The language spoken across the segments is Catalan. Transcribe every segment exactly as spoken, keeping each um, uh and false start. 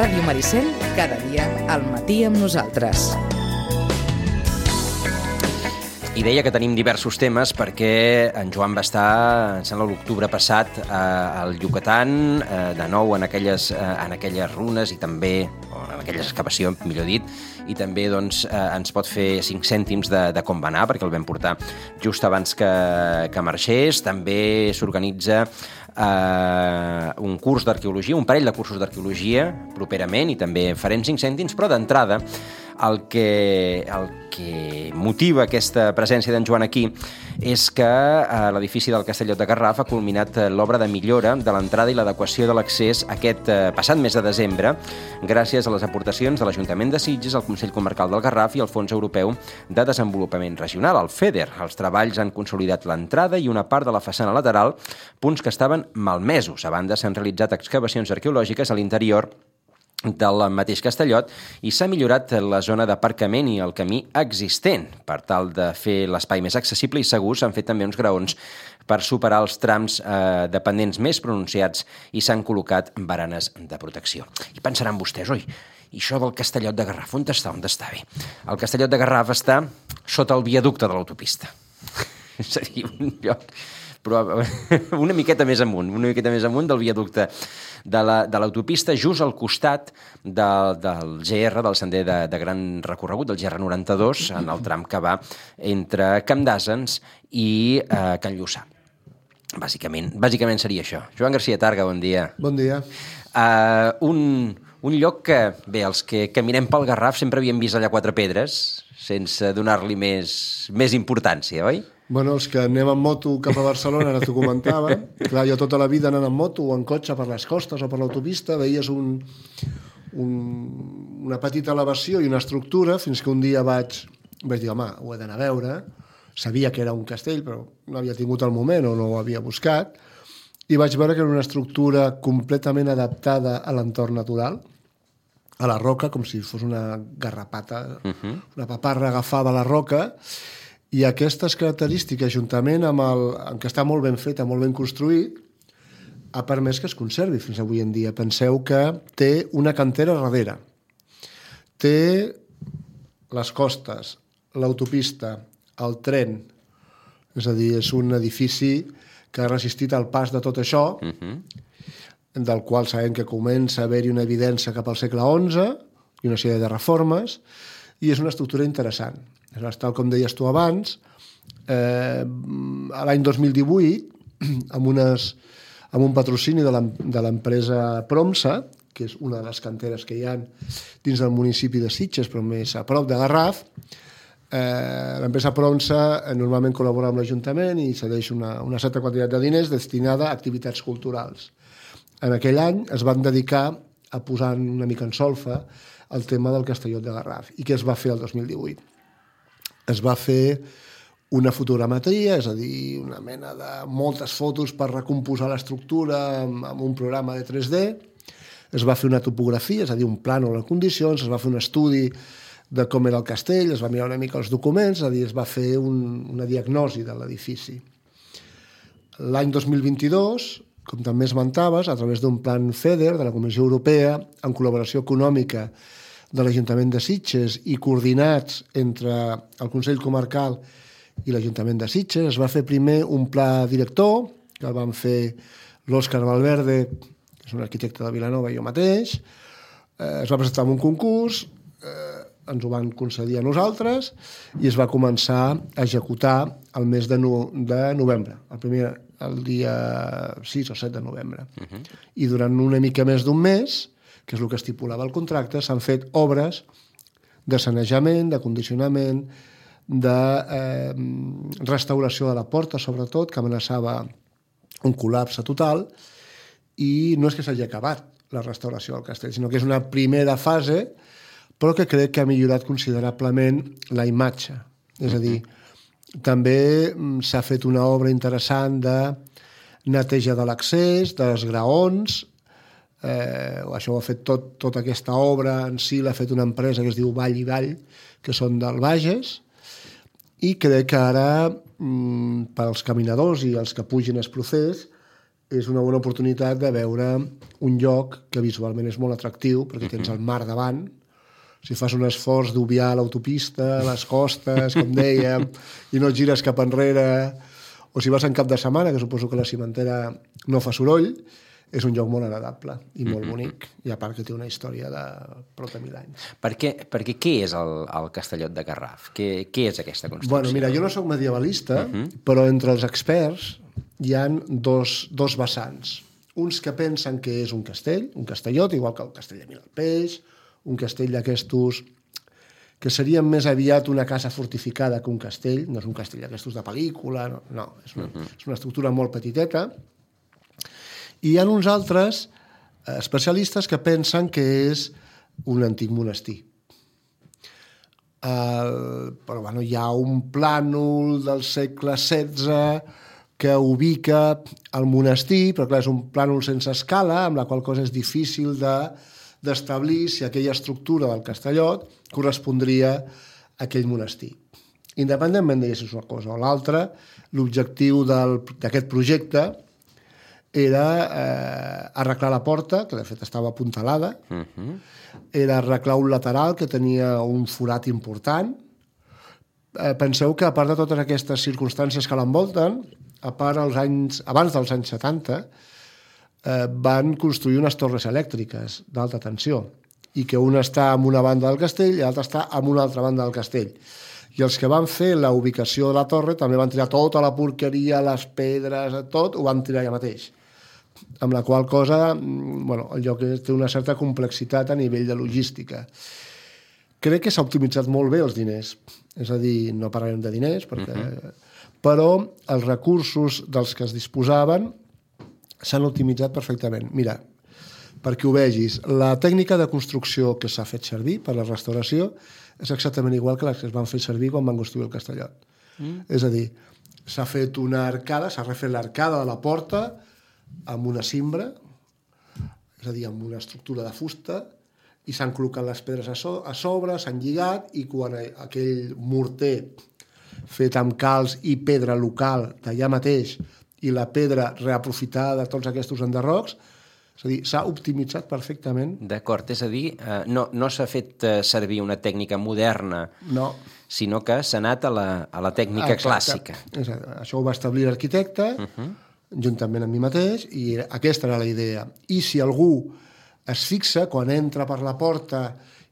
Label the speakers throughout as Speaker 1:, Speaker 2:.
Speaker 1: Ràdio Maricel, cada dia al matí amb nosaltres.
Speaker 2: I deia que tenim diversos temes perquè en Joan va estar, em sembla, l'octubre passat al Yucatán, de nou en aquelles, en aquelles runes i també, o en aquella excavació, millor dit, i també doncs, ens pot fer cinc cèntims de, de com va anar, perquè el vam portar just abans que, que marxés. També s'organitza eh, un curs d'arqueologia, un parell de cursos d'arqueologia properament, i també farem cinc cèntims, però d'entrada el que, el que motiva aquesta presència d'en Joan aquí és que a l'edifici del Castellot de Garraf ha culminat l'obra de millora de l'entrada i l'adequació de l'accés aquest passat mes de desembre, gràcies a les aportacions de l'Ajuntament de Sitges, el Consell Comarcal del Garraf i el Fons Europeu de Desenvolupament Regional, el FEDER. Els treballs han consolidat l'entrada i una part de la façana lateral, punts que estaven malmesos. A banda, s'han realitzat excavacions arqueològiques a l'interior del mateix Castellot i s'ha millorat la zona d'aparcament i el camí existent. Per tal de fer l'espai més accessible i segur, s'han fet també uns graons per superar els trams eh, dependents més pronunciats i s'han col·locat baranes de protecció. I pensaran vostès, oi, i això del Castellot de Garraf, on està? On està? Bé, el Castellot de Garraf està sota el viaducte de l'autopista. És a dir, un lloc però una miqueta més amunt, una miqueta més amunt del viaducte de l'autopista, la, just al costat de, del G R, del sender de, de gran recorregut, del G R noranta-dos, en el tram que va entre Camp d'Àsens i eh, Can Lluçà. Bàsicament, bàsicament seria això. Joan Garcia Targa, bon dia.
Speaker 3: Bon dia.
Speaker 2: Uh, un, un lloc que, bé, els que caminem pel Garraf sempre havíem vist allà Quatre Pedres, sense donar-li més, més importància, oi?
Speaker 3: Bueno, els que anem en moto cap a Barcelona, ara t'ho comentava. Clar, jo tota la vida anant en moto o en cotxe per les costes o per l'autopista, veies un, un, una petita elevació i una estructura, fins que un dia vaig, vaig dir, home, ho he d'anar a veure. Sabia que era un castell, però no havia tingut el moment o no ho havia buscat. I vaig veure que era una estructura completament adaptada a l'entorn natural, a la roca, com si fos una garrapata, uh-huh. una paparra agafada a la roca. I aquestes característiques, juntament amb el amb que està molt ben fet, molt ben construït, ha permès que es conservi fins avui en dia. Penseu que té una cantera darrere. Té les costes, l'autopista, el tren. És a dir, és un edifici que ha resistit el pas de tot això, uh-huh. del qual sabem que comença a haver-hi una evidència cap al segle onze i una sèrie de reformes, i és una estructura interessant. Tal com deies tu abans, eh, l'any dos mil divuit, amb, unes, amb un patrocini de l'empresa Promsa, que és una de les canteres que hi ha dins del municipi de Sitges, però més a prop de Garraf, eh, l'empresa Promsa normalment col·labora amb l'Ajuntament i cedeix una, una certa quantitat de diners destinada a activitats culturals. En aquell any es van dedicar a posar una mica en solfa el tema del Castellot de Garraf. I què es va fer el dos mil divuit? Es va fer una fotogrametria, és a dir, una mena de moltes fotos per recomposar l'estructura amb, amb un programa de tres D. Es va fer una topografia, és a dir, un plànol en condicions, es va fer un estudi de com era el castell, es va mirar una mica els documents, és a dir, es va fer un, una diagnosi de l'edifici. L'any dos mil vint-i-dos, com també esmentaves, a través d'un plan FEDER de la Comissió Europea, en col·laboració econòmica de l'Ajuntament de Sitges i coordinats entre el Consell Comarcal i l'Ajuntament de Sitges, es va fer primer un pla director, que el van fer l'Òscar Valverde, que és un arquitecte de Vilanova, i jo mateix. Eh, es va presentar en un concurs, eh, ens ho van concedir a nosaltres, i es va començar a executar el mes de, no, de novembre, el, primer, el dia sis o set de novembre. Uh-huh. I durant una mica més d'un mes, que és el que estipulava el contracte, s'han fet obres de sanejament, de condicionament, de eh, restauració de la porta, sobretot, que amenaçava un col·lapse total, i no és que s'hagi acabat la restauració del castell, sinó que és una primera fase, però que crec que ha millorat considerablement la imatge. És a dir, també s'ha fet una obra interessant de neteja de l'accés, dels graons. Eh, això ho ha fet tot, tota aquesta obra en si l'ha fet una empresa que es diu Vall i Vall, que són del Bages, i crec que ara mm, per als caminadors i els que pugin el procés és una bona oportunitat de veure un lloc que visualment és molt atractiu, perquè tens el mar davant. Si fas un esforç d'obviar l'autopista, les costes, com dèiem, i no et gires cap enrere, o si vas en cap de setmana, que suposo que la cimentera no fa soroll, és un lloc molt agradable i molt mm-hmm. bonic, i a part que té una història de prop de mil anys.
Speaker 2: Perquè, perquè què és el, el Castellot de Garraf? Què, què és aquesta construcció?
Speaker 3: Bueno, mira, jo no sóc medievalista, mm-hmm. però entre els experts hi ha dos, dos vessants. Uns que pensen que és un castell, un castellot, igual que el castell de Miralpeix, un castell d'aquestos que serien més aviat una casa fortificada que un castell, no és un castell d'aquestos de pel·lícula, no, no és, una, mm-hmm. és una estructura molt petiteta. I hi ha uns altres especialistes que pensen que és un antic monestir. El, però bueno, hi ha un plànol del segle setze que ubica el monestir, però clar, és un plànol sense escala, amb la qual cosa és difícil de, d'establir si aquella estructura del Castellot correspondria a aquell monestir. Independentment de si és una cosa o l'altra, l'objectiu d'aquest projecte era eh, arreglar la porta, que de fet estava apuntalada, uh-huh. era arreglar un lateral que tenia un forat important. Eh, penseu que a part de totes aquestes circumstàncies que l'envolten, a part als anys, abans dels anys setanta, eh, van construir unes torres elèctriques d'alta tensió, i que una està en una banda del castell i l'altra està en una altra banda del castell. I els que van fer la ubicació de la torre també van tirar tota la porqueria, les pedres, tot, ho van tirar allà mateix. Amb la qual cosa, bueno, el lloc té una certa complexitat a nivell de logística. Crec que s'ha optimitzat molt bé els diners. És a dir, no parlarem de diners, perquè... Uh-huh. però els recursos dels que es disposaven s'han optimitzat perfectament. Mira, perquè ho vegis, la tècnica de construcció que s'ha fet servir per la restauració és exactament igual que les que es van fer servir quan van construir el Castellot. Mm. És a dir, s'ha fet una arcada, s'ha refet l'arcada de la porta amb una cimbra, és a dir, amb una estructura de fusta, i s'han col·locat les pedres a, so a sobre, s'han lligat, i quan aquell morter fet amb calç i pedra local d'allà mateix, i la pedra reaprofitada de tots aquests enderrocs, és a dir, s'ha optimitzat perfectament.
Speaker 2: D'acord, és a dir, eh, no, no s'ha fet eh, servir una tècnica moderna,
Speaker 3: no.
Speaker 2: sinó que s'ha anat a la, a la tècnica Exacte. clàssica.
Speaker 3: Exacte. Això ho va establir l'arquitecte, uh-huh. juntament amb mi mateix, i aquesta era la idea. I si algú es fixa, quan entra per la porta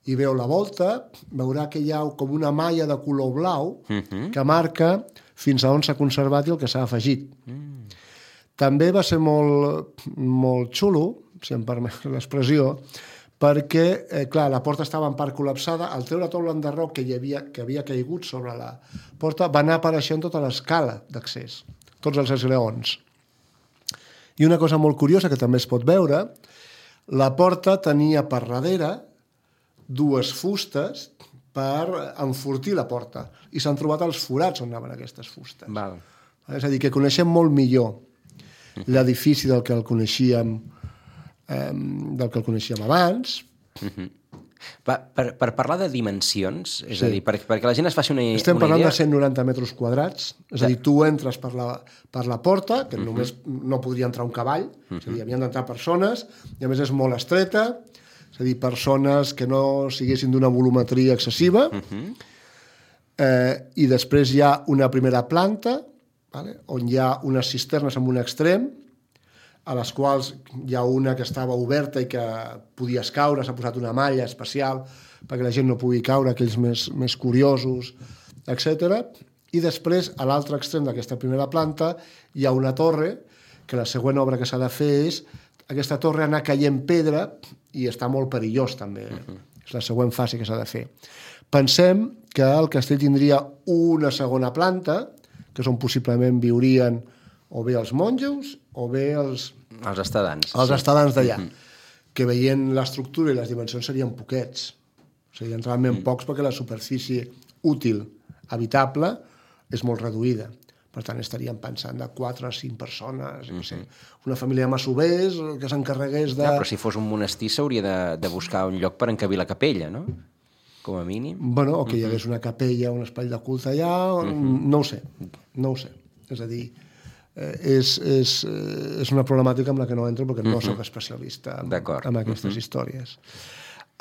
Speaker 3: i veu la volta, veurà que hi ha com una malla de color blau uh-huh. que marca fins a on s'ha conservat i el que s'ha afegit. Mm. També va ser molt, molt xulo, si em permet l'expressió, perquè, eh, clar, la porta estava en part col·lapsada, al treure tot l'enderroc que, hi havia, que havia caigut sobre la porta, va anar apareixent tota l'escala d'accés, tots els esglaons. I una cosa molt curiosa que també es pot veure, la porta tenia per darrere dues fustes per enfortir la porta, i s'han trobat els forats on anaven aquestes fustes.
Speaker 2: Val.
Speaker 3: És a dir, que coneixem molt millor l'edifici del que el coneixíem eh, del que el coneixíem abans.
Speaker 2: Uh-huh. per, per, per parlar de dimensions, és sí. a dir, per, perquè la gent es faci una,
Speaker 3: Estem
Speaker 2: una
Speaker 3: parlant
Speaker 2: idea...
Speaker 3: de cent noranta metres quadrats, és ja. a dir, tu entres per la, per la porta, que uh-huh. només no podria entrar un cavall, uh-huh. és a dir, havien d'entrar persones, i a més és molt estreta, és a dir, persones que no siguessin d'una volumetria excessiva, uh-huh. eh, i després hi ha una primera planta, vale? On hi ha unes cisternes en un extrem, a les quals hi ha una que estava oberta i que podies caure, s'ha posat una malla especial perquè la gent no pugui caure, aquells més, més curiosos, etcètera. I després, a l'altre extrem d'aquesta primera planta, hi ha una torre, que la següent obra que s'ha de fer és aquesta torre anar caient pedra, i està molt perillós també. Uh-huh. És la següent fase que s'ha de fer. Pensem que el castell tindria una segona planta, que on possiblement viurien o bé els monjos o bé els...
Speaker 2: Els estadants.
Speaker 3: Els sí. estadants d'allà.
Speaker 2: Mm-hmm.
Speaker 3: Que veient l'estructura i les dimensions serien poquets. Serien realment mm. pocs perquè la superfície útil, habitable, és molt reduïda. Per tant, estaríem pensant de quatre o cinc persones, mm-hmm. no sé, una família de masovers que s'encarregués de...
Speaker 2: Ja, però si fos un monestir s'hauria de, de buscar un lloc per encabir la capella, no? Com a mínim.
Speaker 3: Bueno, o que hi hagués una capella, un espai de culte allà, mm-hmm. no ho sé, no ho sé. És a dir, eh, és, és, és una problemàtica amb la que no entro perquè no soc especialista en, en aquestes uh-huh. històries.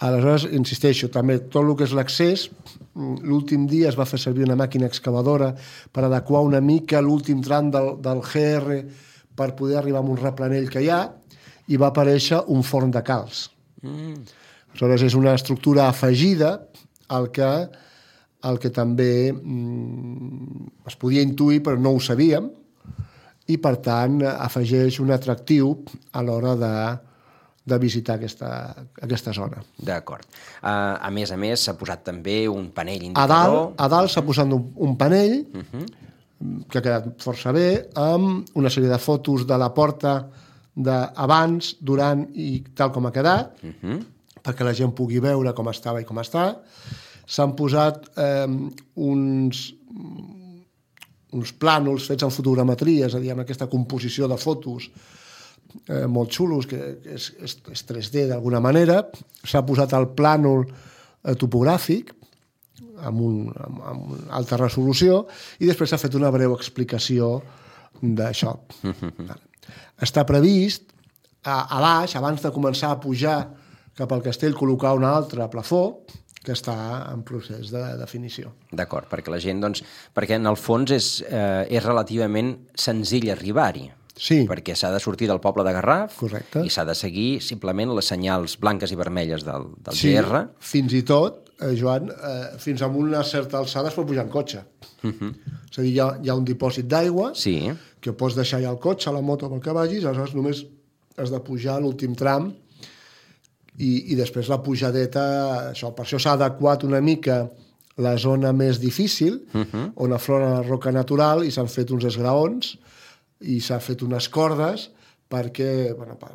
Speaker 3: Aleshores, insisteixo, també tot el que és l'accés, l'últim dia es va fer servir una màquina excavadora per adequar una mica l'últim tram del, del G R per poder arribar a un replanell que hi ha, i va aparèixer un forn de calç. Mm. Aleshores, és una estructura afegida al que, al que també mm, es podia intuir, però no ho sabíem, i, per tant, afegeix un atractiu a l'hora de de visitar aquesta, aquesta zona.
Speaker 2: D'acord. Uh, a més a més, s'ha posat també un panell indicador.
Speaker 3: A dalt, a dalt s'ha posat un, un panell uh-huh. que ha quedat força bé, amb una sèrie de fotos de la porta d'abans, durant i tal com ha quedat, uh-huh. perquè la gent pugui veure com estava i com està. S'han posat eh, uns, uns plànols fets en fotogrametria, és a dir, amb aquesta composició de fotos Eh, molt xulos, que és, és, és tres D d'alguna manera. S'ha posat el plànol eh, topogràfic amb, un, amb, amb una alta resolució, i després s'ha fet una breu explicació d'això. Mm-hmm. Està previst a, a baix, abans de començar a pujar cap al castell, col·locar un altre plafó que està en procés de definició.
Speaker 2: D'acord, perquè la gent, doncs, perquè en el fons és, eh, és relativament senzill arribar-hi.
Speaker 3: Sí.
Speaker 2: Perquè s'ha de sortir del poble de Garraf.
Speaker 3: Correcte.
Speaker 2: I s'ha de seguir simplement les senyals blanques i vermelles del, del
Speaker 3: sí,
Speaker 2: G R.
Speaker 3: Fins i tot, eh, Joan, eh, fins a una certa alçada es pot pujar en cotxe. Uh-huh. És a dir, hi ha, hi ha un dipòsit d'aigua
Speaker 2: sí.
Speaker 3: que pots deixar ja el cotxe, la moto, pel que vagis, aleshores només has de pujar l'últim tram i, i després la pujadeta, això, per això s'ha adequat una mica la zona més difícil, uh-huh. on aflora la roca natural, i s'han fet uns esgraons i s'ha fet unes cordes perquè, bueno, per,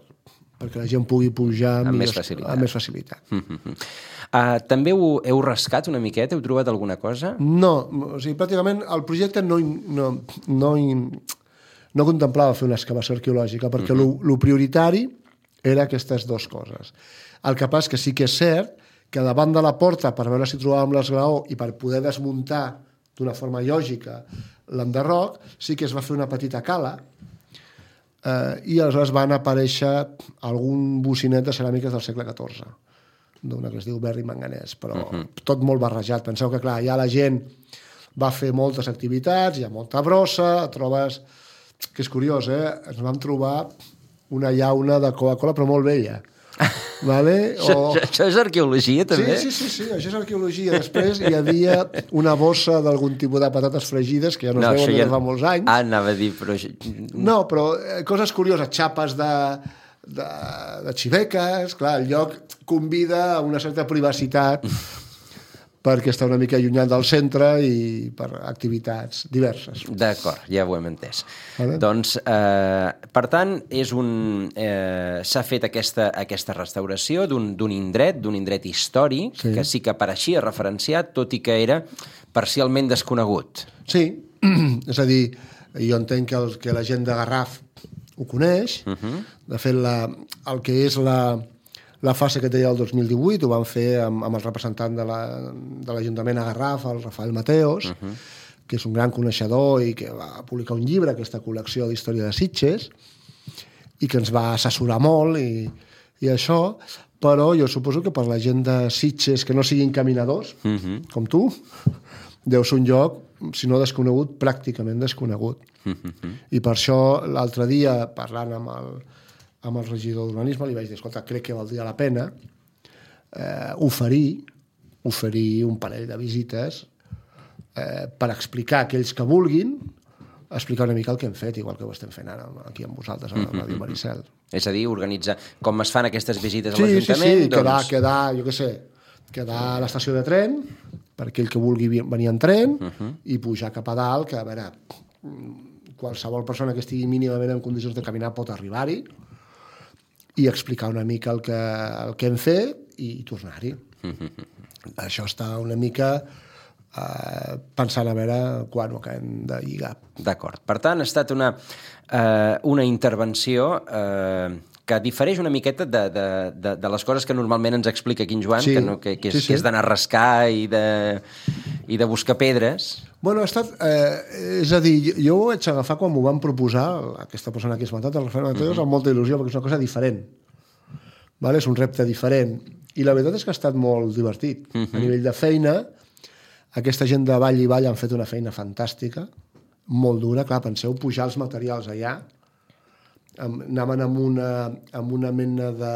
Speaker 3: perquè la gent pugui pujar amb,
Speaker 2: amb
Speaker 3: millors,
Speaker 2: més facilitat.
Speaker 3: Amb més facilitat.
Speaker 2: Mm-hmm. Uh, també ho heu rascat una miqueta? Heu trobat alguna cosa?
Speaker 3: No, o sigui, pràcticament el projecte no, no, no, no contemplava fer una excavació arqueològica, perquè mm-hmm. lo prioritari era aquestes dues coses. El que passa que sí que és cert que davant de la porta, per veure si trobàvem l'esglaó i per poder desmuntar d'una forma lògica l'enderroc, sí que es va fer una petita cala eh, i aleshores van aparèixer algun bocinet de ceràmiques del segle catorze, d'una que es diu berri manganès, però uh-huh. tot molt barrejat. Penseu que, clar, ja la gent va fer moltes activitats, hi ha molta brossa, trobes... que és curiós, eh? Ens vam trobar una llauna de Coca-Cola, però molt vella. Vale? O...
Speaker 2: Això, això és arqueologia, també?
Speaker 3: Sí, sí, sí, sí, això és arqueologia. Després hi havia una bossa d'algun tipus de patates fregides, que ja no, no es veuen ja... des de fa molts anys.
Speaker 2: Ah, anava a dir, però...
Speaker 3: No, però coses curioses, xapes de, de, de xiveques, clar, el lloc convida a una certa privacitat perquè està una mica allunyat del centre i per activitats diverses.
Speaker 2: D'acord, ja ho hem entès.
Speaker 3: Vale.
Speaker 2: Doncs, eh, per tant, és un, eh, s'ha fet aquesta, aquesta restauració d'un indret, d'un indret històric, sí. que sí que apareixia referenciat, tot i que era parcialment desconegut.
Speaker 3: Sí, és a dir, jo entenc que, el, que la gent de Garraf ho coneix. Uh-huh. De fet, la, el que és la... La fase que deia el dos mil divuit ho van fer amb, amb el representant de l'Ajuntament la, a Garraf, el Rafael Mateos, uh-huh. que és un gran coneixedor i que va publicar un llibre, aquesta col·lecció d'història de Sitges, i que ens va assessorar molt i, i això, però jo suposo que per la gent de Sitges que no siguin caminadors, uh-huh. com tu, deu ser un lloc, si no desconegut, pràcticament desconegut. Uh-huh. I per això l'altre dia, parlant amb el amb el regidor d'urbanisme, li vaig dir, escolta, crec que valdria la pena eh, oferir, oferir un parell de visites eh, per explicar a aquells que vulguin, explicar una mica el que hem fet, igual que ho estem fent ara aquí amb vosaltres, a la Ràdio Maricel.
Speaker 2: És a dir, organitzar com es fan aquestes visites
Speaker 3: sí,
Speaker 2: a l'Ajuntament.
Speaker 3: Sí, sí,
Speaker 2: doncs...
Speaker 3: quedar, quedar, jo què sé, quedar a l'estació de tren, per aquell que vulgui venir en tren, uh-huh. i pujar cap a dalt, que a veure, qualsevol persona que estigui mínimament en condicions de caminar pot arribar-hi, i explicar una mica el que, el que hem fet i tornar-hi. Mm-hmm. Això està una mica eh, pensant a veure quan ho acabem de lligar.
Speaker 2: D'acord. Per tant, ha estat una, eh, una intervenció eh, que difereix una miqueta de, de, de, de les coses que normalment ens explica aquí en Joan,
Speaker 3: Sí,
Speaker 2: que, no, que, que és,
Speaker 3: sí, sí.
Speaker 2: que és d'anar a rascar i de, i de buscar pedres.
Speaker 3: Bueno, ha estat, eh, és a dir, jo ho vaig agafar quan m'ho van proposar, aquesta persona que he esmentat, el Rafael Mateos, mm-hmm. amb molta il·lusió, perquè és una cosa diferent. Vale? És un repte diferent. I la veritat és que ha estat molt divertit. Mm-hmm. A nivell de feina, aquesta gent de Vall i Vall han fet una feina fantàstica, molt dura. Clar, penseu pujar els materials allà, anaven amb una, amb una mena de,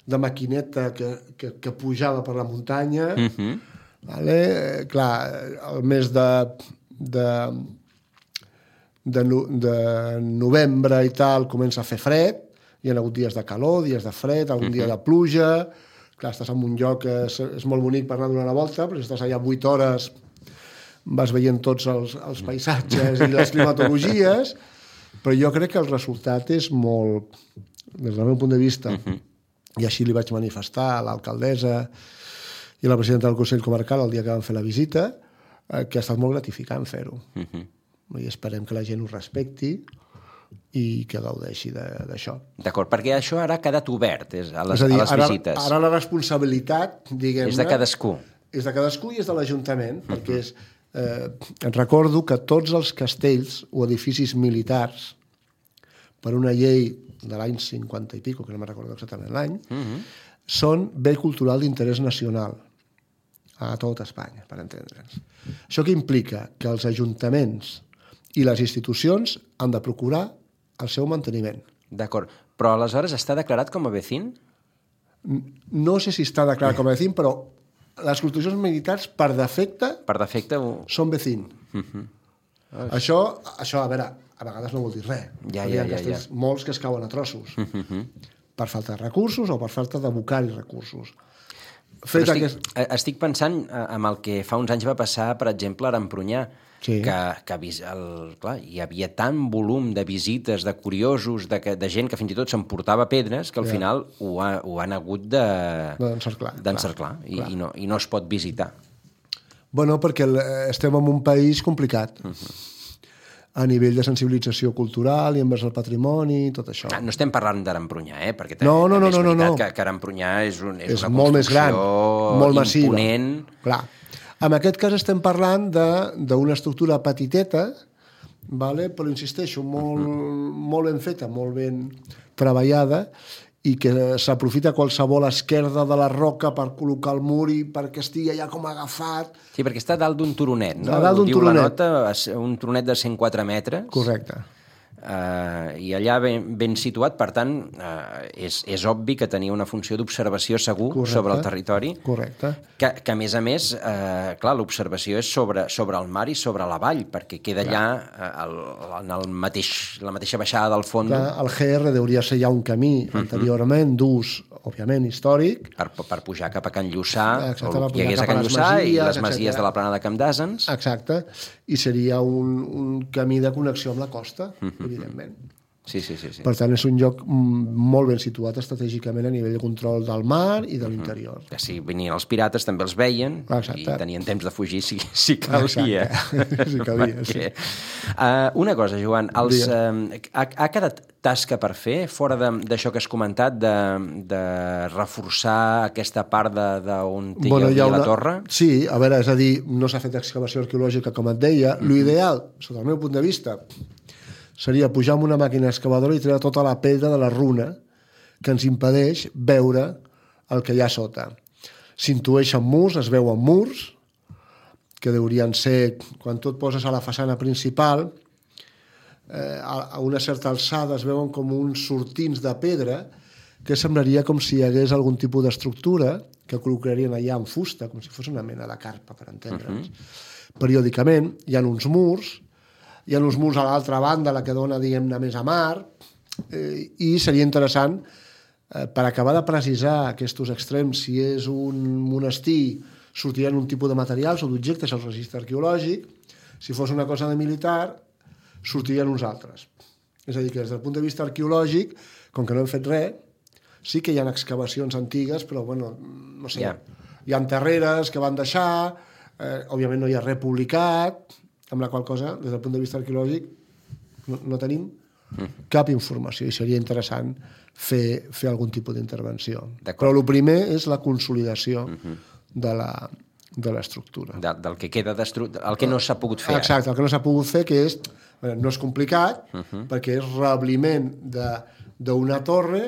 Speaker 3: de maquineta que, que, que pujava per la muntanya. Mm-hmm. Vale? Clar, el mes de, de, de, no, de novembre i tal comença a fer fred, hi ha hagut dies de calor, dies de fred, algun uh-huh. dia de pluja. Clar, estàs en un lloc que és, és molt bonic per anar a donar una volta, però si estàs allà vuit hores vas veient tots els, els paisatges i les climatologies, però jo crec que el resultat és molt, des del meu punt de vista, uh-huh. i així li vaig manifestar a l'alcaldessa i a la presidenta del Consell Comarcal el dia que vam fer la visita, eh, que ha estat molt gratificant fer-ho. Uh-huh. I esperem que la gent ho respecti i que gaudeixi d'això.
Speaker 2: D'acord, perquè això ara ha quedat obert és, a, les,
Speaker 3: és a dir,
Speaker 2: a les
Speaker 3: ara,
Speaker 2: visites.
Speaker 3: Ara la responsabilitat, diguem-ne...
Speaker 2: És de cadascú.
Speaker 3: És de cadascú i és de l'Ajuntament, uh-huh. perquè és, eh, recordo que tots els castells o edificis militars, per una llei de l'any cinquanta i pico, que no me'n recordo exactament l'any, uh-huh. són bé cultural d'interès nacional a tot Espanya, per entendre'ns. Això què implica? Que els ajuntaments i les institucions han de procurar el seu manteniment.
Speaker 2: D'acord. Però aleshores està declarat com a vecín?
Speaker 3: No sé si està declarat com a vecín, però les construccions militars, per defecte,
Speaker 2: per defecte ho...
Speaker 3: són vecín. Uh-huh. Això, això, a veure, a vegades no vol dir res.
Speaker 2: Ja, ja, ja, ja.
Speaker 3: Molts que es cauen a trossos. Uh-huh. Per falta de recursos o per falta d'abocar-hi recursos.
Speaker 2: Estic, aquest... estic pensant en el que fa uns anys va passar, per exemple, a Empunyà, sí. que, que el, clar, hi havia tant volum de visites, de curiosos, de, de gent que fins i tot s'emportava pedres, que al ja. final ho, ha, ho han hagut
Speaker 3: d'encerclar
Speaker 2: de, i, i, no, i no es pot visitar.
Speaker 3: Bueno, perquè estem en un país complicat. Uh-huh. A nivell de sensibilització cultural i envers el patrimoni, tot això.
Speaker 2: No, no estem parlant d'Arempunyà, eh? perquè
Speaker 3: no, no, no,
Speaker 2: és veritat
Speaker 3: no, no.
Speaker 2: que, que Arempunyà és, un, és,
Speaker 3: és
Speaker 2: una
Speaker 3: molt més gran, molt massiva.
Speaker 2: Imponent.
Speaker 3: Clar. En aquest cas estem parlant d'una estructura petiteta, vale? Però insisteixo, molt, uh-huh. molt ben feta, molt ben treballada, i que s'aprofita qualsevol esquerda de la roca per col·locar el mur i perquè estigui allà com agafat.
Speaker 2: Sí, perquè està dalt d'un turonet, no?
Speaker 3: A dalt d'un
Speaker 2: turonet.
Speaker 3: Diu la
Speaker 2: nota, un turonet de cent quatre metres.
Speaker 3: Correcte.
Speaker 2: Uh, I allà ben, ben situat, per tant, uh, és, és obvi que tenia una funció d'observació segur Correcte. Sobre el territori.
Speaker 3: Correcte.
Speaker 2: Que, que a més a més, uh, clar, l'observació és sobre, sobre el mar i sobre la vall, perquè queda allà uh, el, en el mateix, la mateixa baixada del fons.
Speaker 3: Clar, el G R hauria de ser ja un camí uh-huh. anteriorment d'ús, òbviament, històric.
Speaker 2: Per, per pujar cap a Can Lluçà,
Speaker 3: Exacte,
Speaker 2: o el que hi hagués a Can Lluçà, i les masies etcètera de la plana de Camp d'Àsens.
Speaker 3: Exacte. I seria un, un camí de connexió amb la costa, uh-huh. evidentment.
Speaker 2: Sí, sí, sí, sí.
Speaker 3: Per tant, és un lloc molt ben situat estratègicament a nivell de control del mar i de l'interior.
Speaker 2: Uh-huh. Que si venien els pirates també els veien.
Speaker 3: Exacte.
Speaker 2: I tenien temps de fugir si, si calia.
Speaker 3: Exacte. Si calia,
Speaker 2: Perquè,
Speaker 3: sí.
Speaker 2: Uh, una cosa, Joan, els, uh, ha, ha quedat tasca per fer, fora d'això que has comentat, de, de reforçar aquesta part d'on hi
Speaker 3: bueno,
Speaker 2: havia
Speaker 3: una...
Speaker 2: la torre?
Speaker 3: Sí, a veure, és a dir, no s'ha fet excavació arqueològica, com et deia. Uh-huh. L'ideal, sota el meu punt de vista, seria pujar amb una màquina excavadora i treure tota la pedra de la runa que ens impedeix veure el que hi ha sota. S'intueixen murs, es veuen murs, que deurien ser, quan tu et poses a la façana principal, eh, a una certa alçada es veuen com uns sortints de pedra que semblaria com si hi hagués algun tipus d'estructura que col·locarien allà en fusta, com si fos una mena de carpa, per entendre'ns. Uh-huh. Periòdicament hi ha uns murs, hi ha uns murs a l'altra banda, la que dona, diguem-ne, més a mar, eh, i seria interessant, eh, per acabar de precisar aquests extrems, si és un monestir, sortirien un tipus de materials o d'objectes al registre arqueològic, si fos una cosa de militar, sortirien uns altres. És a dir, que des del punt de vista arqueològic, com que no hem fet res, sí que hi ha excavacions antigues, però, bueno, no sé, yeah. hi ha terreres que van deixar, Eh, òbviament no hi ha res publicat, amb la qual cosa, des del punt de vista arqueològic, no, no tenim mm. cap informació i seria interessant fer, fer algun tipus d'intervenció. Però el primer és la consolidació mm-hmm. de la de l'estructura.
Speaker 2: De, del que queda destruït, el que no s'ha pogut fer.
Speaker 3: Exacte, el que no s'ha pogut fer, que és, no és complicat, uh-huh. perquè és rebliment d'una torre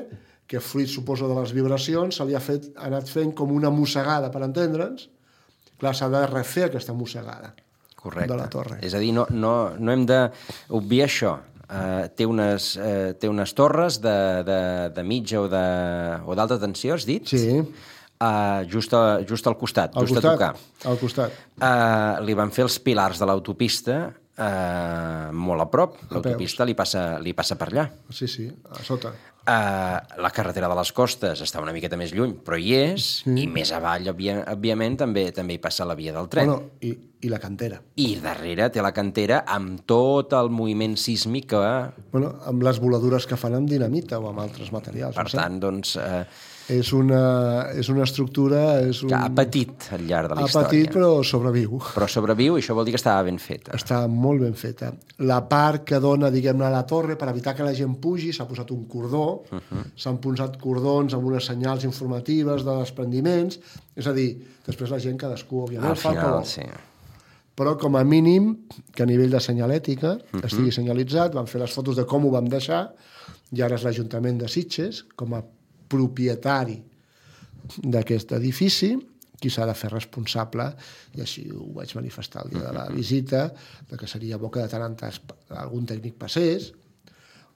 Speaker 3: que, fruit, suposo, de les vibracions, se li ha, fet, ha anat fent com una mossegada, per entendre'ns. Clar, s'ha de refer aquesta mossegada. Correcte. De la torre.
Speaker 2: És a dir, no, no, no hem d'obviar això. Uh, té, unes, uh, té unes torres de, de, de mitja o d'alta tensió, has dit?
Speaker 3: Sí.
Speaker 2: Uh, just, a, just al costat,
Speaker 3: al
Speaker 2: just
Speaker 3: costat,
Speaker 2: a tocar.
Speaker 3: Al costat.
Speaker 2: Uh, li van fer els pilars de l'autopista uh, molt a prop. L'autopista li, passa, li passa per allà.
Speaker 3: Sí, sí, a sota.
Speaker 2: Uh, la carretera de les Costes està una miqueta més lluny, però hi és, sí. I més avall, òbvia, òbviament, també també hi passa la via del tren.
Speaker 3: Bueno, i, i la cantera.
Speaker 2: I darrere té la cantera amb tot el moviment sísmic que...
Speaker 3: Bueno, amb les voladures que fan amb dinamita o amb altres materials.
Speaker 2: Per no tant, sé? doncs... Uh,
Speaker 3: És una, és una estructura... És un...
Speaker 2: que ha patit al llarg de la
Speaker 3: ha
Speaker 2: història.
Speaker 3: Ha patit, però sobreviu.
Speaker 2: Però sobreviu, i això vol dir que estava ben feta.
Speaker 3: Està molt ben feta. La part que dona, diguem-ne, a la torre, per evitar que la gent pugi, s'ha posat un cordó, uh-huh. s'han posat cordons amb unes senyals informatives de desprendiments, és a dir, després la gent cadascú, òbviament,
Speaker 2: al final, sí.
Speaker 3: Però, com a mínim, que a nivell de senyalètica uh-huh. estigui senyalitzat, vam fer les fotos de com ho vam deixar, i ara és l'Ajuntament de Sitges, com a propietari d'aquest edifici, qui s'ha de fer responsable, i així ho vaig manifestar el dia de la visita, de que seria bo que de tant en tant algun tècnic passés,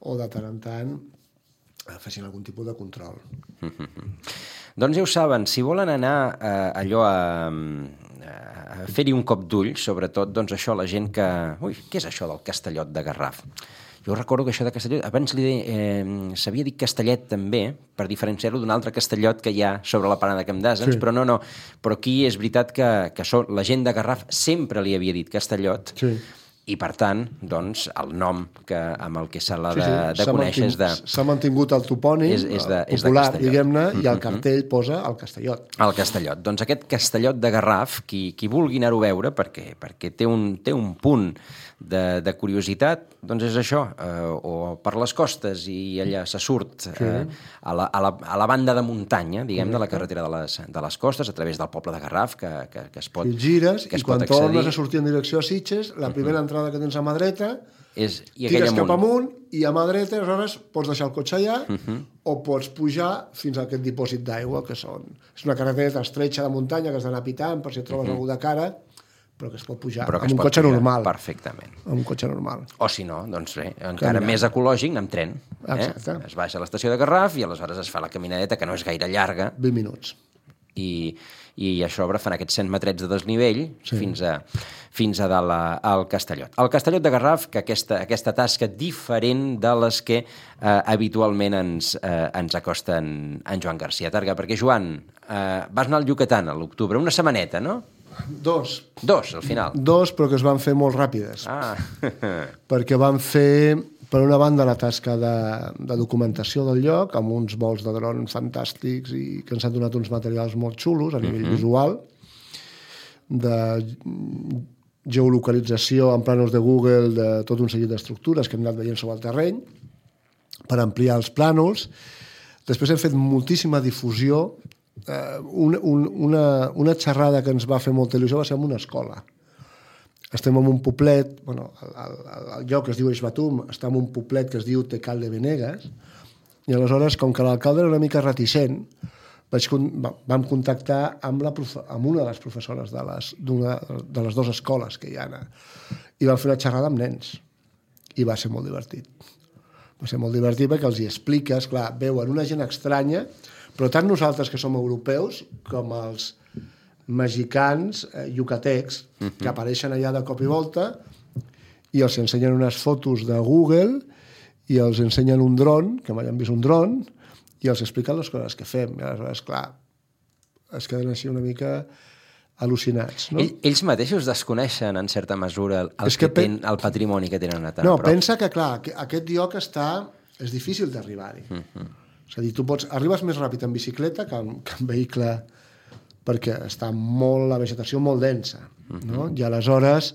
Speaker 3: o de tant en tant fessin algun tipus de control.
Speaker 2: Doncs ja ho saben, si volen anar eh, allò a, a fer-hi un cop d'ull, sobretot, doncs això, la gent que... Ui, què és això del Castellot de Garraf? Jo recordo que això de Castellot, abans li eh, s'havia dit Castellet també, per diferenciar-ho d'un altre Castellot que hi ha sobre la Plana de Camp d'Àsens, sí. però no, no, però aquí és veritat que, que so, la gent de Garraf sempre li havia dit Castellot, sí. I per tant, doncs, el nom que, amb el que se l'ha de, sí, sí. de conèixer és de...
Speaker 3: S'ha mantingut el topònim
Speaker 2: és, és de, és
Speaker 3: popular,
Speaker 2: de
Speaker 3: diguem-ne, i el cartell posa el Castellot.
Speaker 2: El Castellot. Doncs aquest Castellot de Garraf, qui, qui vulgui anar-ho a veure, perquè, perquè té, un, té un punt de, de curiositat, doncs és això, eh, o per les costes i allà se surt eh, sí. a, la, a, la, a la banda de muntanya, diguem, de la carretera de les, de les costes, a través del poble de Garraf, que, que, que es pot accedir.
Speaker 3: I gires, i quan tornes a sortir en direcció a Sitges, la primera entrada que tens a mà dreta,
Speaker 2: és, i
Speaker 3: tires cap amunt, i a mà dreta, aleshores, pots deixar el cotxe allà, uh-huh. o pots pujar fins a aquest dipòsit d'aigua, que són... És una carretera estretxa de muntanya que has d'anar pitant per si et trobes uh-huh. algú de cara, però que es pot pujar
Speaker 2: però
Speaker 3: amb un cotxe normal.
Speaker 2: Perfectament.
Speaker 3: Amb un cotxe normal.
Speaker 2: O si no, doncs bé, encara més ecològic, anar amb tren.
Speaker 3: Exacte.
Speaker 2: Eh? Es baixa a l'estació de Garraf i aleshores es fa la caminadeta, que no és gaire llarga.
Speaker 3: vint minuts.
Speaker 2: I, i a sobre fan aquests cent metrets de desnivell sí. fins a, fins a dalt a, al Castellot. El Castellot de Garraf, que aquesta, aquesta tasca diferent de les que eh, habitualment ens, eh, ens acosta en, en Joan García Targa. Perquè, Joan, eh, vas anar al Yucatán a l'octubre, una setmaneta, no?
Speaker 3: Dos.
Speaker 2: Dos, al final.
Speaker 3: Dos, però que es van fer molt ràpides.
Speaker 2: Ah.
Speaker 3: Perquè van fer, per una banda, la tasca de, de documentació del lloc, amb uns vols de dron fantàstics i que ens han donat uns materials molt xulos a nivell uh-huh. visual, de geolocalització en plànols de Google de tot un seguit d'estructures que hem anat veient sobre el terreny, per ampliar els plànols. Després hem fet moltíssima difusió. Uh, una, una, una xerrada que ens va fer molta il·lusió va ser en una escola. Estem en un poblet, bueno, el, el, el lloc que es diu Eixbatum està en un poblet que es diu Tecal de Benegues, i aleshores, com que l'alcalde era una mica reticent, vaig, vam contactar amb, la profe, amb una de les professores de les, de les dues escoles que hi ha, i vam fer una xerrada amb nens, i va ser molt divertit. Va ser molt divertit perquè els hi expliques, clar, veuen una gent estranya, però tant nosaltres que som europeus com els mexicans, eh, yucatecs, uh-huh. que apareixen allà de cop i volta i els ensenyen unes fotos de Google i els ensenyen un dron, que mai han vist un dron, i els expliquen les coses que fem. I aleshores, clar, es queden així una mica al·lucinats. No?
Speaker 2: Ell, ells mateixos desconeixen, en certa mesura, el, el, que que pen... ten, el patrimoni que tenen a tan
Speaker 3: no,
Speaker 2: prop.
Speaker 3: Pensa que, clar, aquest lloc està... és difícil d'arribar-hi. Uh-huh. És a dir, tu pots... arribes més ràpid en bicicleta que en, que en vehicle perquè està molt, la vegetació molt densa, no? I aleshores,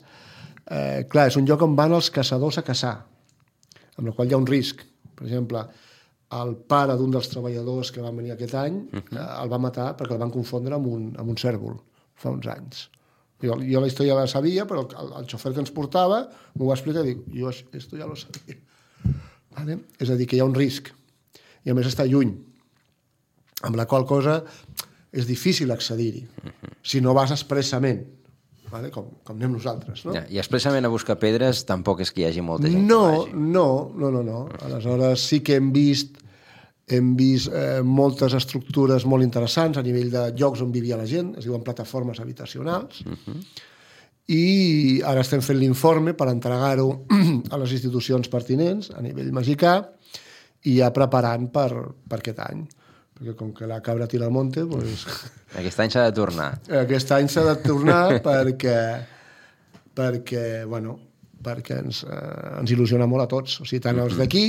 Speaker 3: eh, clar, és un lloc on van els caçadors a caçar, amb la qual hi ha un risc. Per exemple, el pare d'un dels treballadors que van venir aquest any uh-huh. el va matar perquè el van confondre amb un, amb un cèrvol fa uns anys. Jo, jo la història la sabia, però el, el xofer que ens portava m'ho va explicar i dic, jo esto ja lo sabia. Vale? És a dir, que hi ha un risc. I a més està lluny, amb la qual cosa és difícil accedir-hi, uh-huh. si no vas expressament. Vale? Com, com anem nosaltres, no?
Speaker 2: Ja, I expressament a buscar pedres tampoc és que hi hagi molta gent
Speaker 3: no,
Speaker 2: que vagi.
Speaker 3: No, no, no, no. Aleshores sí que hem vist, hem vist eh, moltes estructures molt interessants a nivell de llocs on vivia la gent, es diuen plataformes habitacionals, uh-huh. i ara estem fent l'informe per entregar-ho a les institucions pertinents a nivell mexicà i ja preparant per, per aquest any. Perquè com que la cabra tira al monte, doncs...
Speaker 2: Aquest any s'ha de tornar.
Speaker 3: Aquest any s'ha de tornar perquè, perquè, bueno, perquè ens, eh, ens il·lusiona molt a tots. O sigui, tant els d'aquí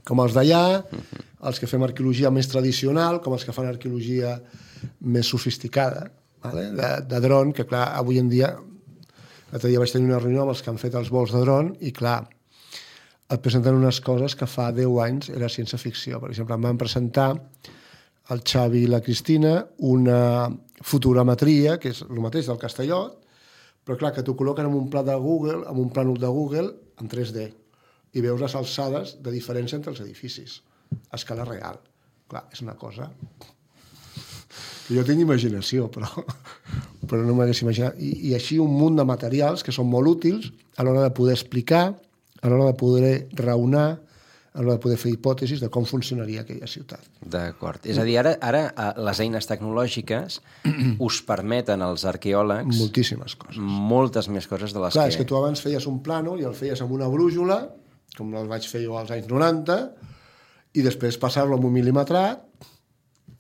Speaker 3: com els d'allà, els que fem arqueologia més tradicional, com els que fan arqueologia més sofisticada, vale? de, de dron, que clar, avui en dia... L'altre dia vaig tenir una reunió amb els que han fet els vols de dron i clar, et presenten unes coses que fa deu anys era ciència-ficció. Per exemple, em van presentar el Xavi i la Cristina una fotogrametria, que és el mateix del Castellot, però clar, que t'ho col·loquen en un pla de Google, en un plànol de Google, en tres D, i veus les alçades de diferència entre els edificis, a escala real. Clar, és una cosa... Jo tinc imaginació, però, però no m'hagués imaginat. I, I així un munt de materials que són molt útils a l'hora de poder explicar, a l'hora de poder raonar, a l'hora de poder fer hipòtesis de com funcionaria aquella ciutat.
Speaker 2: D'acord. És a dir, ara, ara les eines tecnològiques us permeten als arqueòlegs...
Speaker 3: Moltíssimes coses.
Speaker 2: Moltes més coses de les
Speaker 3: Clar,
Speaker 2: que...
Speaker 3: és que tu abans feies un plànol i el feies amb una brújula, com el vaig fer jo als anys noranta, i després passar-lo amb un mil·limetrat,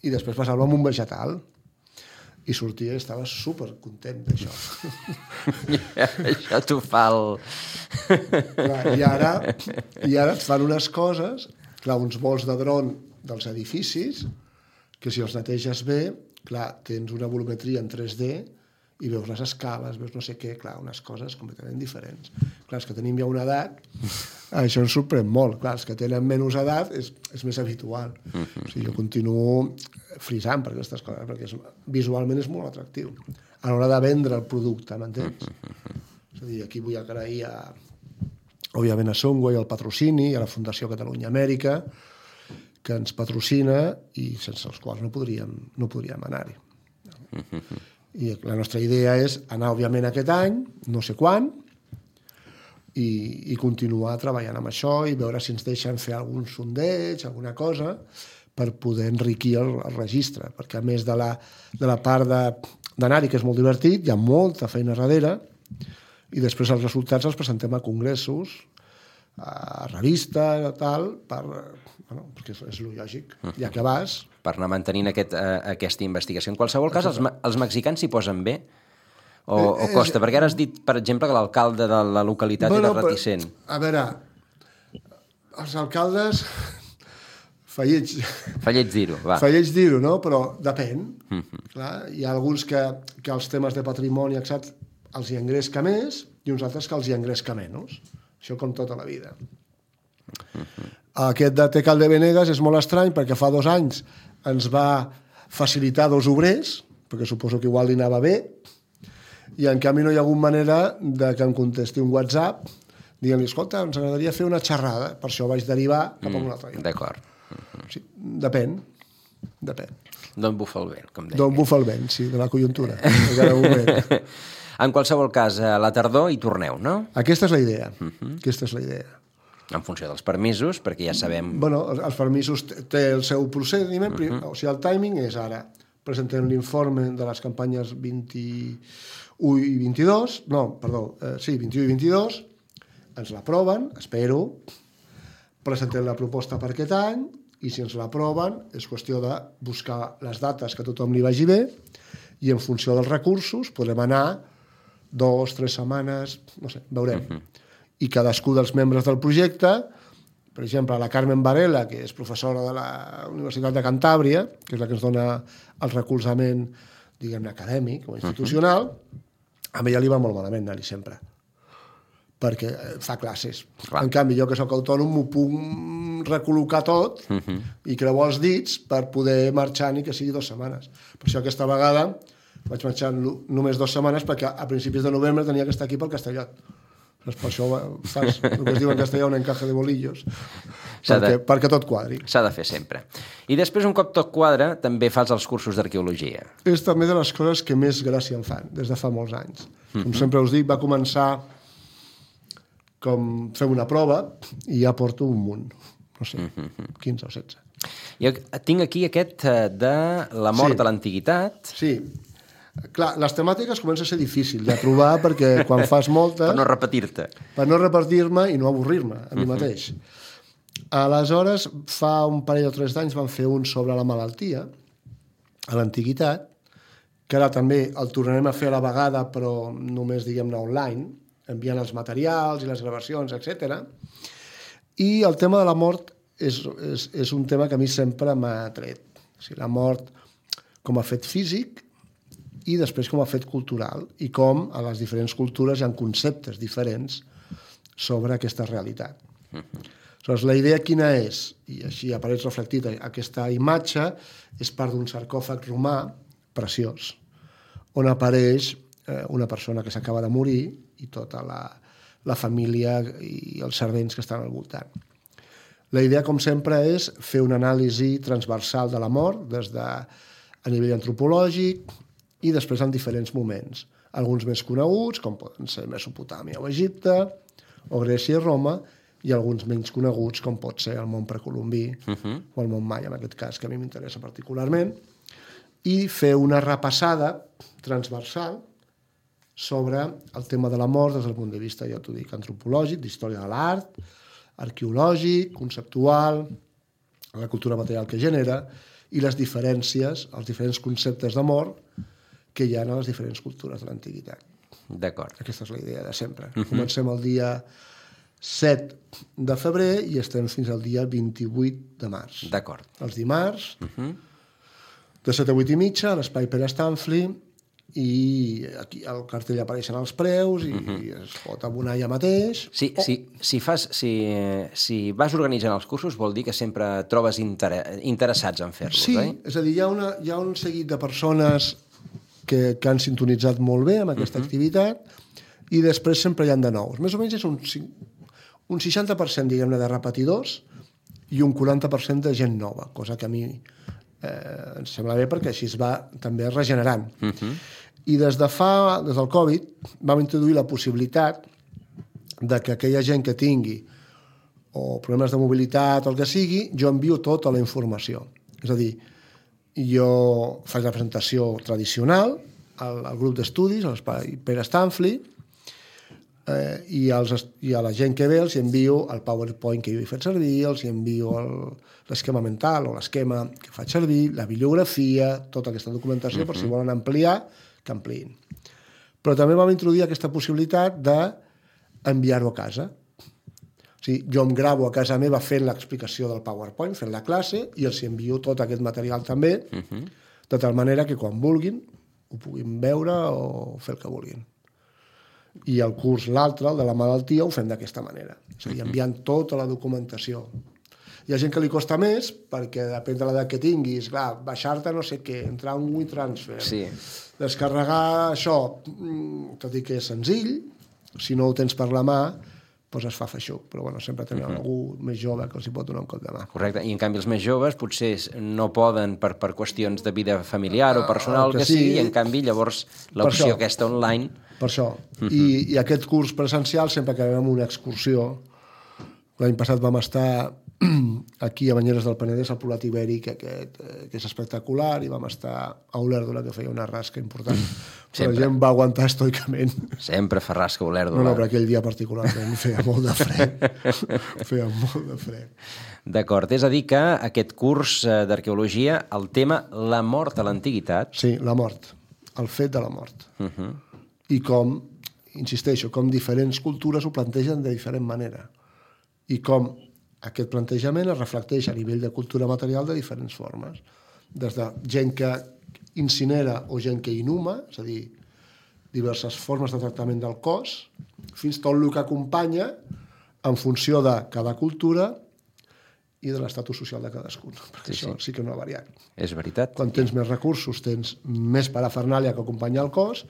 Speaker 3: i després passar-lo amb un vegetal. I sortia i estava supercontent d'això.
Speaker 2: Ja, això t'ho fa el...
Speaker 3: Clar, i, ara, I ara et fan unes coses, clar, uns vols de dron dels edificis, que si els neteges bé, clar, tens una volumetria en tres D i veus les escales, veus no sé què, clar, unes coses completament diferents. Clar, els que tenim ja una edat, això ens sorprèn molt. Clar, els que tenen menys edat és, és més habitual. O sigui, jo continuo frisant per aquestes coses, perquè és, visualment és molt atractiu. A l'hora de vendre el producte, m'entens? És a dir, aquí vull agrair a, òbviament, a Songway, al patrocini, a la Fundació Catalunya Amèrica, que ens patrocina i sense els quals no podríem, no podríem anar-hi. I la nostra idea és anar, òbviament, aquest any, no sé quan, i, i continuar treballant amb això i veure si ens deixen fer algun sondeig, alguna cosa, per poder enriquir el, el registre, perquè a més de la, de la part d'anar-hi, que és molt divertit, hi ha molta feina darrere, i després els resultats els presentem a congressos, a revistes, tal, per, bueno, perquè és, és lògic, ja que vas...
Speaker 2: Per anar mantenint aquest, uh, aquesta investigació. En qualsevol cas, els, els mexicans s'hi posen bé? O, eh, o costa? Perquè ara has dit, per exemple, que l'alcalde de la localitat bueno, era reticent.
Speaker 3: Però, a veure, els alcaldes... Fa lleig...
Speaker 2: Fa lleig dir-ho, va.
Speaker 3: Fa lleig dir-ho, no? Però depèn. Mm-hmm. Clar, hi ha alguns que, que els temes de patrimoni, etcètera, els hi engresca més i uns altres que els hi engresca menys. Això com tota la vida. Mm-hmm. Aquest de Tecal de Venegas és molt estrany perquè fa dos anys ens va facilitar dos obrers, perquè suposo que igual li anava bé, i en canvi no hi ha hagut manera de que em contesti un WhatsApp dient-li, escolta, ens agradaria fer una xerrada, per això vaig derivar cap a un altre lloc.
Speaker 2: D'acord.
Speaker 3: O sigui, depèn, depèn.
Speaker 2: D'on bufa el vent, com deia.
Speaker 3: D'on bufa el vent, sí, de la conjuntura. De cada moment.
Speaker 2: En qualsevol cas, a la tardor hi torneu, no?
Speaker 3: Aquesta és la idea. Uh-huh. Aquesta és la idea.
Speaker 2: En funció dels permisos, perquè ja sabem...
Speaker 3: Bueno, els permisos té el seu procediment, uh-huh. O sigui, el timing és ara. Presentem l'informe de les campanyes vint-i-u i vint-i-dos, no, perdó, eh, sí, vint-i-u i vint-i-dos, ens l'aproven, espero, presentem la proposta per aquest any, i si ens l'aproven és qüestió de buscar les dates que a tothom li vagi bé, i en funció dels recursos podrem anar dos, tres setmanes, no sé, veurem. Uh-huh. I cadascú dels membres del projecte, per exemple, la Carmen Varela, que és professora de la Universitat de Cantàbria, que és la que ens dona el recolzament diguem-ne, acadèmic o institucional, uh-huh. a ella li va molt malament anar-hi sempre, perquè fa classes. Clar. En canvi, jo que sóc autònom m'ho puc recol·locar tot uh-huh. i creuar els dits per poder marxar ni que sigui dues setmanes. Per això aquesta vegada vaig marxar només dues setmanes perquè a principis de novembre tenia que estar aquí pel Castellot. Per això fas el que es diu en castellà un encaje de bolillos, perquè, de... perquè tot quadri.
Speaker 2: S'ha de fer sempre. I després, un cop tot quadra, també fas els cursos d'arqueologia.
Speaker 3: És també de les coses que més gràcia em fan, des de fa molts anys. Com uh-huh. sempre us dic, va començar com fer una prova i ja porto un munt, no sé, uh-huh. quinze o setze.
Speaker 2: Jo tinc aquí aquest de la mort sí. a l'antiguitat.
Speaker 3: Sí. Clar, les temàtiques comença a ser difícil de trobar perquè quan fas moltes...
Speaker 2: Per no repetir-te.
Speaker 3: Per no repetir-me i no avorrir-me a mi uh-huh. mateix. Aleshores, fa un parell o tres d'anys vam fer un sobre la malaltia a l'antiguitat, que ara també el tornarem a fer a la vegada, però només, diguem-ne, online, enviant els materials i les gravacions, etcètera. I el tema de la mort és, és, és un tema que a mi sempre m'ha tret. O sigui, la mort com a fet físic i després com a fet cultural, i com a les diferents cultures hi ha conceptes diferents sobre aquesta realitat. Uh-huh. Aleshores, la idea quina és? I així apareix reflectit aquesta imatge, és part d'un sarcòfag romà preciós, on apareix eh, una persona que s'acaba de morir i tota la, la família i els servents que estan al voltant. La idea, com sempre, és fer una anàlisi transversal de la mort, des de a nivell antropològic, i després en diferents moments. Alguns més coneguts, com poden ser Mesopotàmia o Egipte, o Grècia i Roma, i alguns menys coneguts, com pot ser el món precolombí uh-huh. o el món maia, en aquest cas, que a mi m'interessa particularment, i fer una repassada transversal sobre el tema de la mort des del punt de vista, ja t'ho dic, antropològic, d'història de l'art, arqueològic, conceptual, la cultura material que genera, i les diferències, els diferents conceptes de mort que hi ha a les diferents cultures de l'antiguitat.
Speaker 2: D'acord.
Speaker 3: Aquesta és la idea de sempre. Uh-huh. Comencem el dia set de febrer i estem fins al dia vint-i-vuit de març.
Speaker 2: D'acord.
Speaker 3: Els dimarts, uh-huh. de set a vuit i mitja, a l'espai Pere Stanfli, i aquí al cartell apareixen els preus i, uh-huh. i es pot abonar ja mateix.
Speaker 2: Sí, oh. si, si, fas, si, si vas organitzant els cursos vol dir que sempre trobes inter... interessats en fer-los,
Speaker 3: sí,
Speaker 2: eh?
Speaker 3: Sí, és a dir, hi ha, una, hi ha un seguit de persones que, que han sintonitzat molt bé amb aquesta uh-huh. activitat i després sempre hi ha de nous. Més o menys és un, un seixanta per cent, diguem-ne, de repetidors i un quaranta per cent de gent nova, cosa que a mi eh, ens sembla bé perquè així es va també regenerant. Uh-huh. I des de fa, des del Covid, vam introduir la possibilitat de que aquella gent que tingui o problemes de mobilitat o el que sigui, jo envio tota la informació. És a dir, jo faig la presentació tradicional al, al grup d'estudis, a l'espai Pere Stanfli, eh, i, als, i a la gent que ve els envio el PowerPoint que jo he fet servir, els envio el, l'esquema mental o l'esquema que faig servir, la bibliografia, tota aquesta documentació, uh-huh. per si volen ampliar, que ampliïn. Però també vam introduir aquesta possibilitat d'enviar-ho a casa. O sigui, jo em gravo a casa meva fent l'explicació del PowerPoint, fent la classe, i els envio tot aquest material també, uh-huh. de tal manera que quan vulguin ho puguin veure o fer el que vulguin. I el curs, l'altre, el de la malaltia, ho fem d'aquesta manera. És a dir, enviant tota la documentació. Hi ha gent que li costa més, perquè depèn de l'edat que tinguis, clar, baixar-te no sé què, entrar en un WeTransfer,
Speaker 2: sí.
Speaker 3: descarregar això, tot i que és senzill, si no ho tens per la mà, doncs es fa feixuc, però bueno, sempre tenen uh-huh. algú més jove que els hi pot donar un cop de mà.
Speaker 2: Correcte, i en canvi els més joves potser no poden per, per qüestions de vida familiar o personal uh, que, que sí, sigui, i en canvi llavors l'opció aquesta online...
Speaker 3: Per això, uh-huh. I, i aquest curs presencial sempre acabem amb una excursió. L'any passat vam estar aquí a Banyeres del Penedès, al Poblat Ibèric, aquest, que és espectacular, i vam estar a Olèrdola, que feia una rasca important. Però la gent va aguantar estoicament.
Speaker 2: Sempre fa rasca a Olèrdola.
Speaker 3: No, no, però aquell dia particularment feia molt de fred. feia molt de fred.
Speaker 2: D'acord, és a dir que aquest curs d'arqueologia, el tema la mort a l'antiguitat...
Speaker 3: Sí, la mort, el fet de la mort.
Speaker 2: Uh-huh.
Speaker 3: I com, insisteixo, com diferents cultures ho plantegen de diferent manera. I com aquest plantejament es reflecteix a nivell de cultura material de diferents formes. Des de gent que incinera o gent que inhuma, és a dir, diverses formes de tractament del cos, fins tot el que acompanya en funció de cada cultura i de l'estatus social de cadascun, perquè sí, això sí. sí que no ha variat.
Speaker 2: És veritat.
Speaker 3: Quan tens més recursos, tens més parafernàlia que acompanya el cos,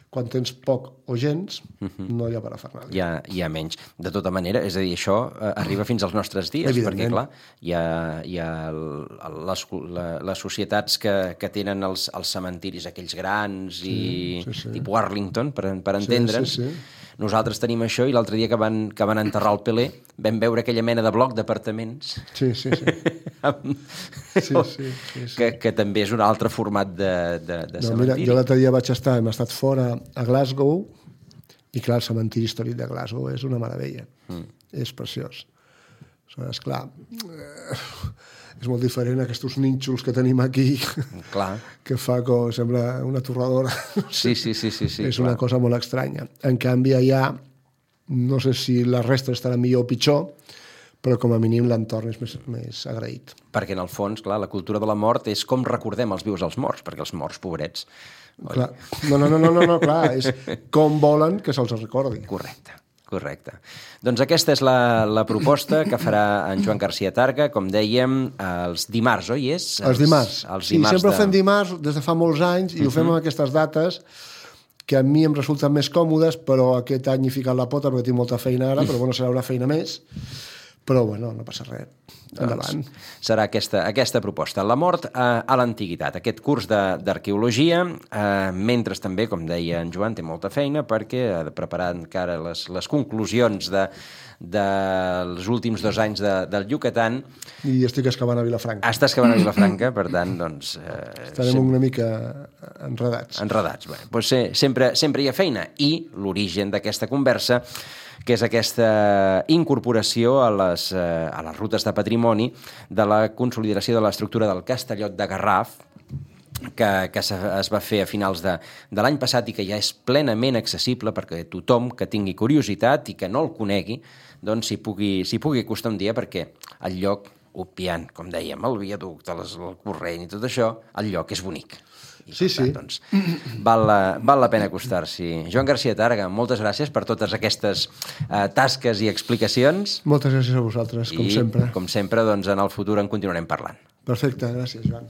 Speaker 3: quan tens poc o gens, uh-huh. no hi ha parafernàlia.
Speaker 2: Hi ha, hi ha menys. De tota manera, és a dir, això eh, arriba fins als nostres dies, perquè, clar, hi ha, hi ha el, el, les, la, les societats que, que tenen els, els cementiris aquells grans sí, i sí, sí. tipus Arlington, per, per entendre'ns. Sí, sí, sí. Nosaltres tenim això i l'altre dia que van, que van enterrar el Pelé vam veure aquella mena de bloc d'apartaments
Speaker 3: sí, sí, sí.
Speaker 2: amb... sí, sí, sí, sí. Que, que també és un altre format de, de, de
Speaker 3: no,
Speaker 2: cementiri.
Speaker 3: Mira, jo l'altre dia vaig estar, hem estat fora a Glasgow i clar, el cementiri històric de Glasgow és una meravella. Mm. És preciós. És clar, eh, és molt diferent a aquests nínxols que tenim aquí,
Speaker 2: clar.
Speaker 3: que fa com sembla una torradora.
Speaker 2: Sí, sí, sí, sí, sí,
Speaker 3: és
Speaker 2: clar.
Speaker 3: una cosa molt estranya. En canvi, allà, no sé si les restes estaran millor o pitjor, però com a mínim l'entorn és més, més agraït.
Speaker 2: Perquè en el fons, clar, la cultura de la mort és com recordem els vius als morts, perquè els morts, pobrets...
Speaker 3: Clar. No, no, no, no, no, no, clar, és com volen que se'ls recordi.
Speaker 2: Correcte. Correcte. Doncs aquesta és la, la proposta que farà en Joan Garcia Targa, com dèiem, els dimarts, oi? És?
Speaker 3: Els, els dimarts.
Speaker 2: Els
Speaker 3: sí,
Speaker 2: dimarts
Speaker 3: sempre
Speaker 2: de...
Speaker 3: ho fem dimarts des de fa molts anys i uh-huh. ho fem amb aquestes dates que a mi em resulten més còmodes, però aquest any he ficat la pota perquè tinc molta feina ara, però bueno, serà una feina més. Però bueno, no passa res. Endavant.
Speaker 2: Doncs serà aquesta, aquesta proposta. La mort eh, a l'antiguitat, aquest curs d'arqueologia, eh, mentre també, com deia en Joan, té molta feina perquè ha de preparar encara les, les conclusions de, dels últims dos anys de, del Yucatán.
Speaker 3: I estic excavant a Vilafranca.
Speaker 2: Està excavant a Vilafranca, per tant, doncs... Eh,
Speaker 3: Estarem sempre... una mica enredats.
Speaker 2: Enredats. Bé, doncs eh, sempre, sempre hi ha feina. I l'origen d'aquesta conversa, que és aquesta incorporació a les, eh, a les rutes de patrimoni de la consolidació de l'estructura del Castellot de Garraf, que, que es va fer a finals de, de l'any passat i que ja és plenament accessible perquè tothom que tingui curiositat i que no el conegui, doncs s'hi pugui, s'hi pugui acostar un dia, perquè el lloc, obviant, com dèiem, el viaducte, les, el corrent i tot això, el lloc és bonic. I,
Speaker 3: sí,
Speaker 2: tant,
Speaker 3: sí.
Speaker 2: Doncs, val, la, val la pena acostar-s'hi. Joan Garcia Targa, moltes gràcies per totes aquestes eh, tasques i explicacions.
Speaker 3: Moltes gràcies a vosaltres, com
Speaker 2: I,
Speaker 3: sempre.
Speaker 2: com sempre, doncs, en el futur en continuarem parlant.
Speaker 3: Perfecte, gràcies, Joan.